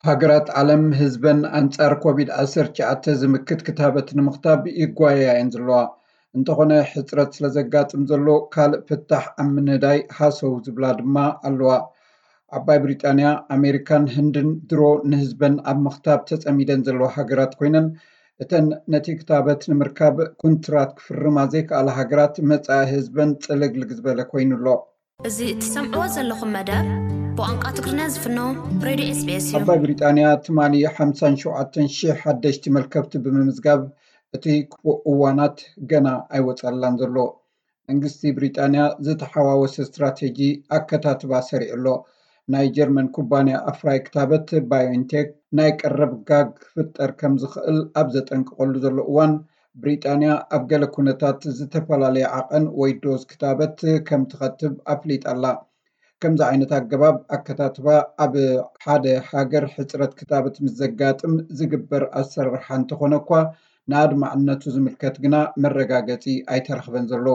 ሃገራት ዓለም ህዝበን ኣንጻር ኮቪድ ዓሰርተ ትሽዓተ ዝምክት ክታበት ንምኽታብ ይጓየያ እየን ዘለዋ። እንተኾነ፣ ሕጽረት ስለ ዘጋጥም ዘሎ ካልእ ፍታሕ ኣብ ምንዳይ ሃሰው ዝብላ ድማ ኣለዋ። ዓባይ ብሪጣንያ፣ ኣሜሪካን ህንድን ድሮ ንህዝበን ኣብ ምኽታብ ተጸሚደን ዘለዋ ሃገራት ኮይነን፣ እተን ነቲ ክታበት ንምርካብ ኩንትራት ክፍርማ ዘይከኣላ ሃገራት፣ መጻኢ ህዝበን ጽልግልግ ዝበለ ኮይኑ ኣሎ። እዚ እትሰምዕዎ ዘለኹም መደብ ብቋንቋ ትግርኛ ዝፍኖ ሬድዮ ኤስ ቢ ኤስ እዩ። ዓባይ ብሪጣንያ ትማሊ ሓምሳን ሸውዓተን ሽሕ ሓደሽቲ መልከፍቲ ብምምዝጋብ፣ እቲ ክፉእ እዋናት ገና ኣይወጸላን ዘሎ። መንግስቲ ብሪጣንያ ዝተሓዋወሰ ስትራቴጂ ኣከታትባ ሰሪዑ ኣሎ። ናይ ጀርመን ኩባንያ ኣፍራይ ክታበት ባዮንቴክ ናይ ቀረብ ጋግ ክፍጠር ከም ዝኽእል ኣብ ዘጠንቅቐሉ ዘሎ እዋን፣ ብሪጣንያ ኣብ ገለ ኩነታት ዝተፈላለየ ዓቐን ወይ ዶዝ ክታበት ከም ትኸትብ ኣፍሊጣ ኣላ። ከምዚ ዓይነት ኣገባብ ኣከታትባ ኣብ ሓደ ሃገር ሕጽረት ክታበት ምስ ዘጋጥም ዝግበር ኣሰራርሓ እንተኾነ እኳ፣ ንኣድማዕነቱ ዝምልከት ግና መረጋገጺ ኣይተረኽበን ዘሎ።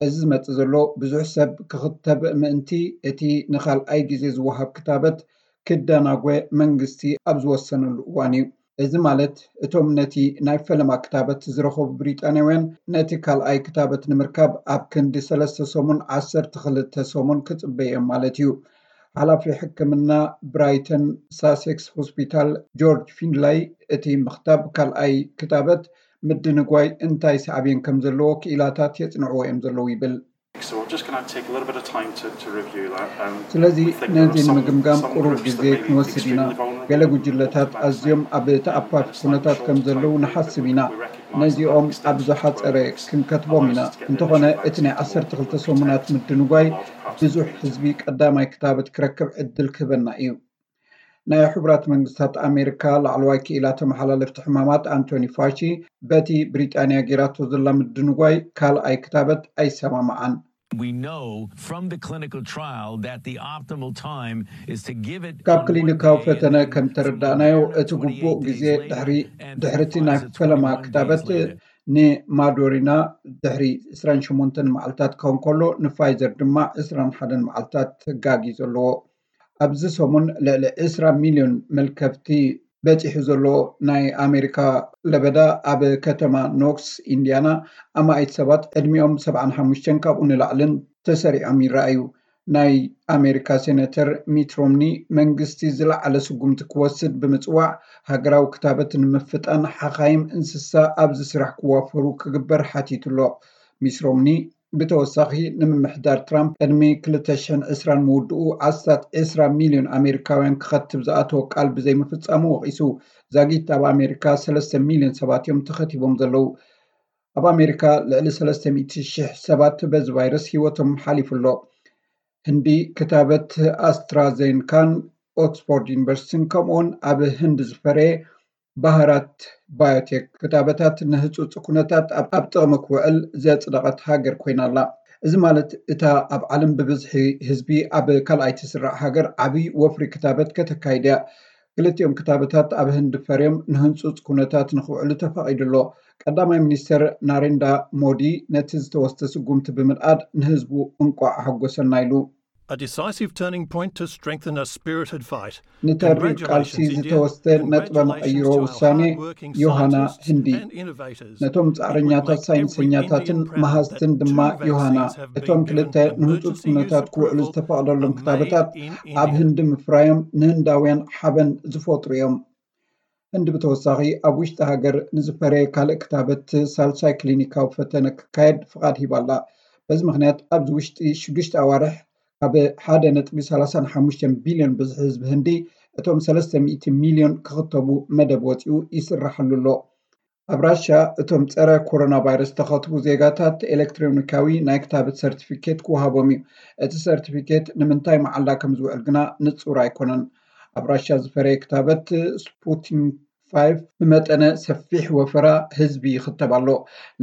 እዚ ዝመጽእ ዘሎ፣ ብዙሕ ሰብ ክኽተብ ምእንቲ እቲ ንኻልኣይ ግዜ ዝወሃብ ክታበት ክደናጎ መንግስቲ ኣብ ዝወሰነሉ እዋን እዩ። እዚ ማለት፣ እቶም ነቲ ናይ ፈለማ ክታበት ዝረኸቡ ብሪጣንያውያን፣ ነቲ ካልኣይ ክታበት ንምርካብ ኣብ ክንዲ ሰለስተ ሰሙን፣ ዓሰርተ ክልተ ሰሙን ክጽበዩ እዮም ማለት እዩ። ሓላፊ ሕክምና ብራይተን ሳሴክስ ሆስፒታል ጆርጅ ፊንላይ፣ እቲ ምኽታብ ካልኣይ ክታበት ምድንጓይ እንታይ ሳዕቤን ከም ዘለዎ ክኢላታት የጽንዕዎ እዮም ዘለዉ ይብል። So we're just going to take a little bit of time to, to review that. Um, ስለዚ we think there are ነዚ some, ንምግምጋም some ቁሩብ groups ግዜ that may be ክንወስድ ኢና። Extremely vulnerable. ገለ ጉጅለታት ኣዝዮም ኣብ ተኣፋፊ ኩነታት ከም ዘለዉ ንሓስብ ኢና። ነዚኦም ኣብ ዝሓጸረ ክንከትቦም ኢና። እንተኾነ፣ እቲ ናይ ዓሰርተ ክልተ ሰሙናት ምድንጓይ ብዙሕ ህዝቢ ቀዳማይ ክታበት ክረክብ ዕድል ክህበና እዩ። ናይ ሕቡራት መንግስታት ኣሜሪካ ላዕለዋይ ክኢላ ተመሓላለፍቲ ሕማማት ኣንቶኒ ፋሺ፣ በቲ ብሪጣንያ ጌራቶ ዘላ ምድንጓይ ካልኣይ ክታበት ኣይሰማማዓን። We know from the clinical trial that the optimal time is to give it ካብ ክሊኒካዊ ፈተነ ከም ተረዳእናዮ፣ እቲ ግቡእ ግዜ ድሕሪ ድሕርቲ ናይ ፈለማ ክታበት ንማዶሪና ድሕሪ ዕስራን ሸሞንተን መዓልታት ክኸውን ከሎ፣ ንፋይዘር ድማ ዕስራን ሓደን መዓልታት ጋግ እዩ ዘለዎ። ኣብዚ ሰሙን ልዕሊ ዕስራ ሚልዮን መልከፍቲ በጺሑ ዘሎ ናይ ኣሜሪካ ለበዳ፣ ኣብ ከተማ ኖክስ ኢንዲያና፣ ኣማኢት ሰባት ዕድሚኦም ሰብዓን ሓሙሽተን ካብኡ ንላዕልን ተሰሪዖም ይረኣዩ። ናይ ኣሜሪካ ሴነተር ሚት ሮምኒ፣ መንግስቲ ዝለዓለ ስጉምቲ ክወስድ ብምጽዋዕ፣ ሃገራዊ ክታበት ንምፍጣን ሓኻይም እንስሳ ኣብዚ ስራሕ ክዋፈሩ ክግበር ሓቲቱ ኣሎ። ሚስ ሮምኒ ብተወሳኺ፣ ንምምሕዳር ትራምፕ ቅድሚ ክልተ ሽሕን ዕስራን ምውድኡ፣ ኣስታት ዕስራ ሚልዮን ኣሜሪካውያን ክኸትብ ዝኣተወ ቃል ብዘይምፍጻሙ ወቒሱ። ዛጊት ኣብ ኣሜሪካ ሰለስተ ሚልዮን ሰባት እዮም ተኸቲቦም ዘለዉ። ኣብ ኣሜሪካ ልዕሊ ሰለስተ ሚእቲ ሽሕ ሰባት በዚ ቫይረስ ህይወቶም ሓሊፉ ኣሎ። ህንዲ ክታበት ኣስትራዜንካን ኦክስፎርድ ዩኒቨርሲቲን፣ ከምኡውን ኣብ ህንዲ ዝፈረየ ባህራት ባዮቴክ ክታበታት ንህጹጽ ኩነታት ኣብ ኣብ ጥቕሚ ክውዕል ዘጽደቐት ሃገር ኮይና ኣላ። እዚ ማለት፣ እታ ኣብ ዓለም ብብዝሒ ህዝቢ ኣብ ካልኣይ ትስራዕ ሃገር ዓቢ ወፍሪ ክታበት ከተካይድ እያ። ክልቲኦም ክታበታት ኣብ ህንዲ ፈርዮም ንህንጹጽ ኩነታት ንኽውዕሉ ተፈቒዱ ኣሎ። ቀዳማይ ሚኒስተር ናሬንዳ ሞዲ ነቲ ዝተወስደ ስጉምቲ ብምንኣድ፣ ንህዝቡ እንቋዕ ኣሐጎሰና ኢሉ። A decisive turning point to strengthen a spirited fight. ንተሪር ቃልሲ ዝተወስደ ነጥበ መቐይሮ ውሳኔ ዮሃና ህንዲ። ነቶም ጻዕረኛታት ሳይንሰኛታትን መሃዝትን ድማ ዮሃና፣ እቶም ክልተ ንህጹጽ ኩነታት ክውዕሉ ዝተፈቕደሎም ክታበታት ኣብ ህንዲ ምፍራዮም ንህንዳውያን ሓበን ዝፈጥሩ እዮም። ህንዲ ብተወሳኺ፣ ኣብ ውሽጢ ሃገር ንዝፈረየ ካልእ ክታበት ሳልሳይ ክሊኒካዊ ፈተነ ክካየድ ፍቓድ ሂባ ኣላ። በዚ ምኽንያት፣ ኣብዚ ውሽጢ ሽዱሽተ ኣዋርሕ፣ ካብ ሓደ ነጥቢ ሰላሳን ሓሙሽተን ቢልዮን ብዝሒ ህዝቢ ህንዲ፣ እቶም ሰለስተ ሚእቲ ሚልዮን ክኽተቡ መደብ ወጺኡ ይስራሓሉ ኣሎ። ኣብ ራሻ፣ እቶም ጸረ ኮሮና ቫይረስ ዝተኸትቡ ዜጋታት፣ ኤሌክትሮኒካዊ ናይ ክታበት ሰርቲፊኬት ክወሃቦም እዩ። እቲ ሰርቲፊኬት ንምንታይ መዓላ ከም ዝውዕል ግና ንጹር ኣይኮነን። ኣብ ራሻ ዝፈረየ ክታበት ስፑትኒክ ፋይቭ ብመጠነ ሰፊሕ ወፈራ ህዝቢ ይኽተብ ኣሎ።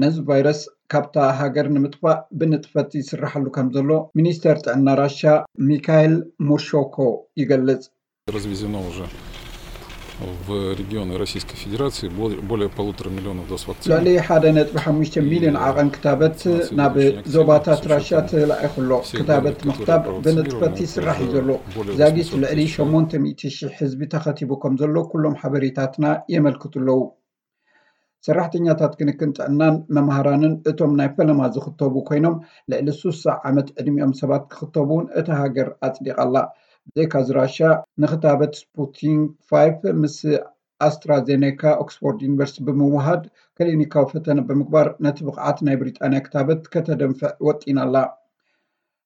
ነዚ ቫይረስ ካብታ ሃገር ንምጥፋእ ብንጥፈት ይስራሓሉ ከም ዘሎ ሚኒስተር ጥዕና ራሻ ሚካኤል ሙርሾኮ ይገልጽ። Развезено уже. В регионы Российской Федерации более полутора миллионов доз вакцины. ልዕሊ ሓደ ነጥቢ ሓሙሽተ ሚልዮን ዓቐን ክታበት ናብ ዞባታት ራሽያ ተላኢኹ ኣሎ። ክታበት ምኽታብ ብንጥፈት ይስራሕ እዩ ዘሎ። ዛጊት ልዕሊ ሸሞንተ ሚእቲ ሺሕ ህዝቢ ተኸቲቡ ከም ዘሎ ኩሎም ሓበሬታትና የመልክቱ ኣለዉ። ሰራሕተኛታት ክንክን ጥዕናን መምሃራንን እቶም ናይ ፈለማ ዝኽተቡ ኮይኖም፣ ልዕሊ ሱሳ ዓመት ዕድሚኦም ሰባት ክኽተቡ እውን እታ ሃገር ኣጽዲቓ ኣላ። ብዘይካዚ ራሽያ ንክታበት ስፑቲንግ ፋይቭ ምስ ኣስትራዜኔካ ኦክስፎርድ ዩኒቨርሲቲ ብምውሃድ ክሊኒካዊ ፈተነ ብምግባር ነቲ ብቕዓት ናይ ብሪጣንያ ክታበት ከተደንፍዕ ወጢና ኣላ።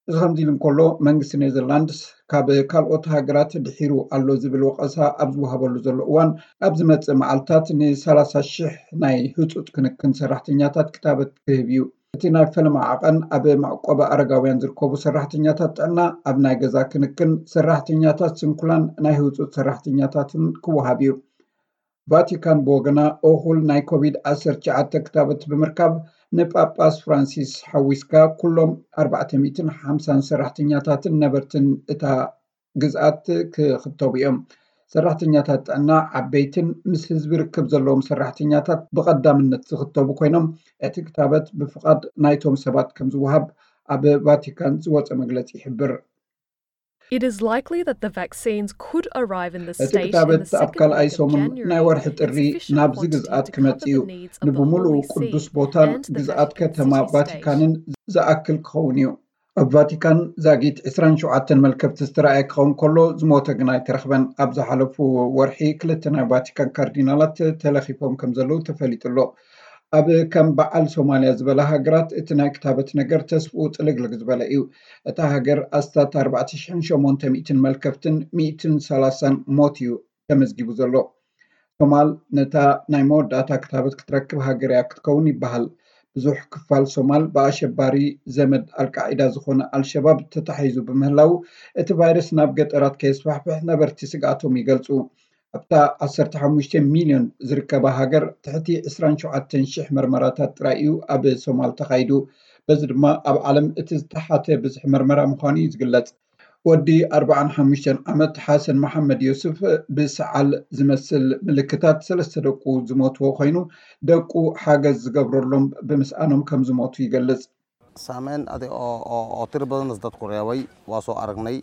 እዚ ከምዚ ኢሉ እንከሎ፣ መንግስቲ ኔዘርላንድስ ካብ ካልኦት ሃገራት ድሒሩ ኣሎ ዝብል ወቐሳ ኣብ ዝወሃበሉ ዘሎ እዋን፣ ኣብ ዝመጽእ መዓልታት ን30 ሺሕ ናይ ህጹጽ ክንክን ሰራሕተኛታት ክታበት ክህብ እዩ። እቲ ናይ ፈለማ ዓቐን ኣብ መዕቆቢ ኣረጋውያን ዝርከቡ ሰራሕተኛታት ጥዕና፣ ኣብ ናይ ገዛ ክንክን ሰራሕተኛታት ስንኩላን ናይ ህጹጽ ሰራሕተኛታትን ክወሃብ እዩ። ቫቲካን ብወገና እኹል ናይ ኮቪድ ዓሰርተ ትሽዓተ ክታበት ብምርካብ ንጳጳስ ፍራንሲስ ሓዊስካ ኩሎም ኣርባዕተ ሚእትን ሓምሳን ሰራሕተኛታትን ነበርትን እታ ግዝኣት ክኽተቡ እዮም። ሰራሕተኛታት ጥዕና ዓበይትን ምስ ህዝቢ ርክብ ዘለዎም ሰራሕተኛታት ብቐዳምነት ዝኽተቡ ኮይኖም እቲ ክታበት ብፍቓድ ናይቶም ሰባት ከም ዝወሃብ ኣብ ቫቲካን ዝወፀ መግለፂ ይሕብር። It is likely that the vaccines could arrive in the እቲ state in ክታበት the ኣብ second ካልኣይ week of ሰሙን January ናይ ወርሒ in ጥሪ sufficient ናብዚ quantity ግዝኣት to ክመጽእ cover እዩ። the needs of the ንብምሉኡ Holy ቅዱስ See ቦታን and the ግዝኣት Vatican ከተማ City State. ቫቲካንን ዝኣክል ክኸውን እዩ። ኣብ ቫቲካን ዛጊት ዕስራን ሸውዓተን መልከፍቲ ዝተረኣየ ክኸውን ከሎ፣ ዝሞተ ግን ኣይተረኽበን። ኣብ ዝሓለፉ ወርሒ ክልተ ናይ ቫቲካን ካርዲናላት ተለኺፎም ከም ዘለዉ ተፈሊጡ ኣሎ። ኣብ ከም በዓል ሶማልያ ዝበላ ሃገራት እቲ ናይ ክታበት ነገር ተስፍኡ ጥልግልግ ዝበለ እዩ። እታ ሃገር ኣስታት ኣርባዕተ ሽሕን ሸሞንተ ሚእትን መልከፍትን ሚእትን ሰላሳን ሞት እዩ ተመዝጊቡ ዘሎ። ሶማል ነታ ናይ መወዳእታ ክታበት ክትረክብ ሃገር እያ ክትከውን ይበሃል። ብዙሕ ክፋል ሶማል ብኣሸባሪ ዘመድ ኣልቃዒዳ ዝኾነ ኣልሸባብ ተታሒዙ ብምህላው፣ እቲ ቫይረስ ናብ ገጠራት ከየስፋሕፍሕ ነበርቲ ስግኣቶም ይገልጹ። ኣብታ ዓሰርተ ሓሙሽተ ሚልዮን ዝርከባ ሃገር፣ ትሕቲ ዕስራን ሸውዓተን ሺሕ መርመራታት ጥራይ እዩ ኣብ ሶማል ተኻይዱ። በዚ ድማ ኣብ ዓለም እቲ ዝተሓተ ብዝሒ መርመራ ምዃኑ እዩ ዝግለጽ። ወዲ ኣርባዓን ሓሙሽተን ዓመት ሓሰን መሓመድ ዮሱፍ ብሰዓል ዝመስል ምልክታት ሰለስተ ደቁ ዝሞትዎ ኮይኑ፣ ደቁ ሓገዝ ዝገብረሎም ብምስኣኖም ከም ዝሞቱ ይገልጽ። Saameyn adi oo oo oo tiro badan is dadku reebay waa soo aragnay.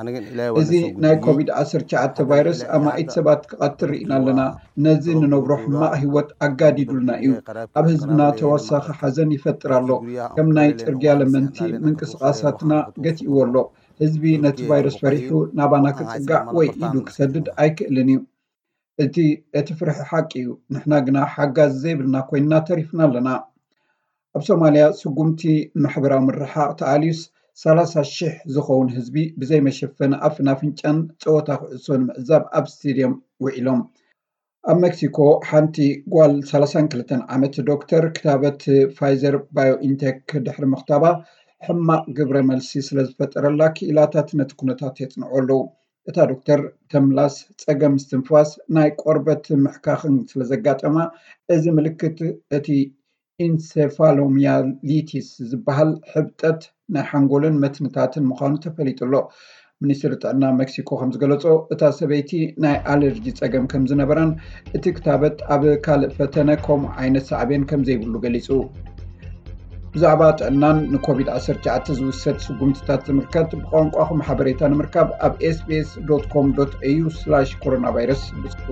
Anigan ilaahay waa እዚ ናይ ኮቪድ ዓሰርተ ትሽዓተ ቫይረስ ኣማኢት ሰባት ክቐትል ርኢና ኣለና። ነዚ ንነብሮ ሕማቕ ህይወት ኣጋዲዱልና እዩ። ኣብ ህዝብና ተወሳኺ ሓዘን ይፈጥር ኣሎ። ከም ናይ ጽርግያ ለመንቲ ምንቅስቓሳትና ገቲእዎ ኣሎ። ህዝቢ ነቲ ቫይረስ ፈሪሑ ናባና ክጽጋዕ ወይ ኢዱ ክሰድድ ኣይክእልን እዩ። እቲ እቲ ፍርሒ ሓቂ እዩ። ንሕና ግና ሓጋዚ ዘይብልና ኮይንና ተሪፍና ኣለና። ኣብ ሶማልያ ስጉምቲ ማሕበራዊ ምርሓቕ ተኣልዩስ፣ ሰላሳ ሽሕ ዝኸውን ህዝቢ ብዘይ መሸፈኒ ኣፍን ኣፍንጫን ጸወታ ኩዕሶ ንምዕዛብ ኣብ ስቴድየም ውዒሎም። ኣብ ሜክሲኮ ሓንቲ ጓል ሰላሳን ክልተን ዓመት ዶክተር ክታበት ፋይዘር ባዮኢንቴክ ድሕሪ ምኽታባ ሕማቕ ግብረ መልሲ ስለ ዝፈጠረላ ክኢላታት ነቲ ኩነታት የጽንዑ ኣለዉ። እታ ዶክተር ተምላስ ጸገም ምስትንፋስ ናይ ቆርበት ምሕካኽን ስለ ዘጋጠማ፣ እዚ ምልክት እቲ ኢንሴፋሎሚያሊቲስ ዝበሃል ሕብጠት ናይ ሓንጎልን መትንታትን ምዃኑ ተፈሊጡ ኣሎ። ሚኒስትሪ ጥዕና ሜክሲኮ ከም ዝገለጾ፣ እታ ሰበይቲ ናይ ኣለርጂ ጸገም ከም ዝነበራን እቲ ክታበት ኣብ ካልእ ፈተነ ከምኡ ዓይነት ሳዕቤን ከም ዘይብሉ ገሊጹ። ብዛዕባ ጥዕናን ንኮቪድ ዓሰርተ ትሽዓተ ዝውሰድ ስጉምትታት ዝምልከት ብቋንቋኹም ሓበሬታ ንምርካብ ኣብ ኤስቢኤስ ዶት ኮም ዶት ኤዩ ስላሽ ኮሮና ቫይረስ ብጽሑ።